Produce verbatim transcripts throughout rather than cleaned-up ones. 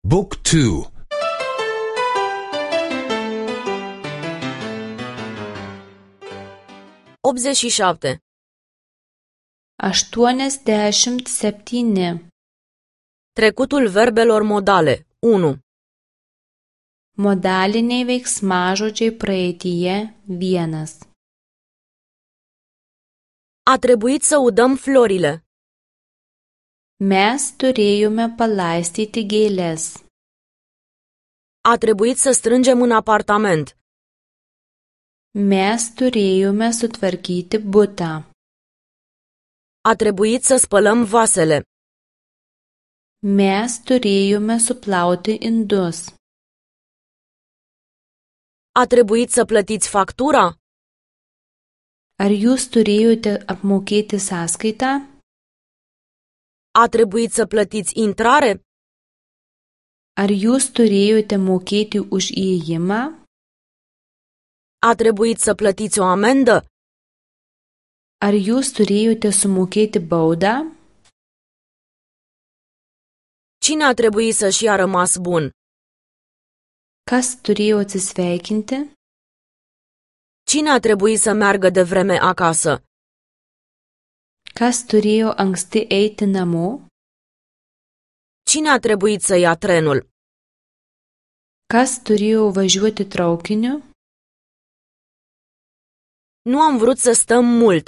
Book two. optzeci și șapte. aštuoniasdešimt septyni. Trecutul verbelor modale. unu. Modaliniai veiksmažodžiai praeityje vienas. A trebuit să udăm florile. Mes turėjome palaistyti gėles. A trebuit să strângem în apartament. Mes turėjome sutvarkyti butą. A trebuit să spălăm vasele. Mes turėjome suplauti indus. A trebuit să plătiți factura? Ar jūs turėjote apmokėti sąskaitą? A trebuit să plătiți intrare? Ar jūs turėjote mokėti už įėjimą? A trebuit să plătiți o amendă? Ar jūs turėjote sumokėti baudą? Cine a trebuit să-și ia rămas bun? Kas turėjo atsisveikinti? Cine a trebuit să meargă de vreme acasă? Kas turėjo anksti eiti namo? Cine a trebuit să ia trenul? Kas turėjo važiuoti traukiniu? Nu am vrut să stăm mult.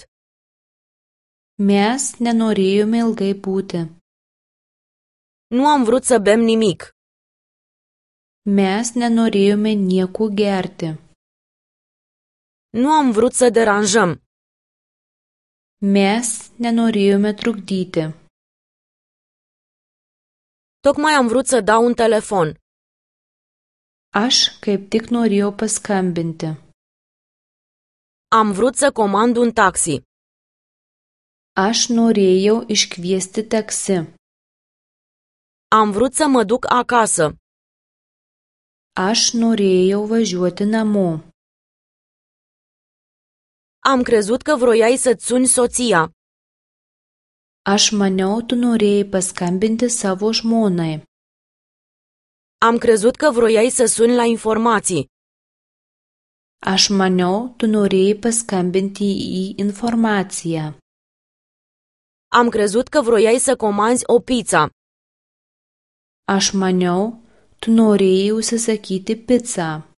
Mes nenorėjome ilgai būti. Nu am vrut să bem nimic. Mes nenorėjome nieko gerti. Nu am vrut să deranjăm. Mes nenorėjome trukdyti. Tocmai am vrut să dau un telefon. Aš kaip tik norėjau paskambinti. Am vrut să comand un taxi. Aš norėjau iškviesti taksi. Am vrut să mă duc acasă. Aš norėjau važiuoti namo. Am crezut că vroiai să-ți suni soția. Aš maniau, tu norėjai paskambinti savo žmonai. Am crezut că vroiai să suni la informații. Aš maniau, tu norėjai paskambinti į informaciją. Am crezut că vroiai să comanzi o pizza. Aš maniau, tu norėjai užsisakyti pizzą.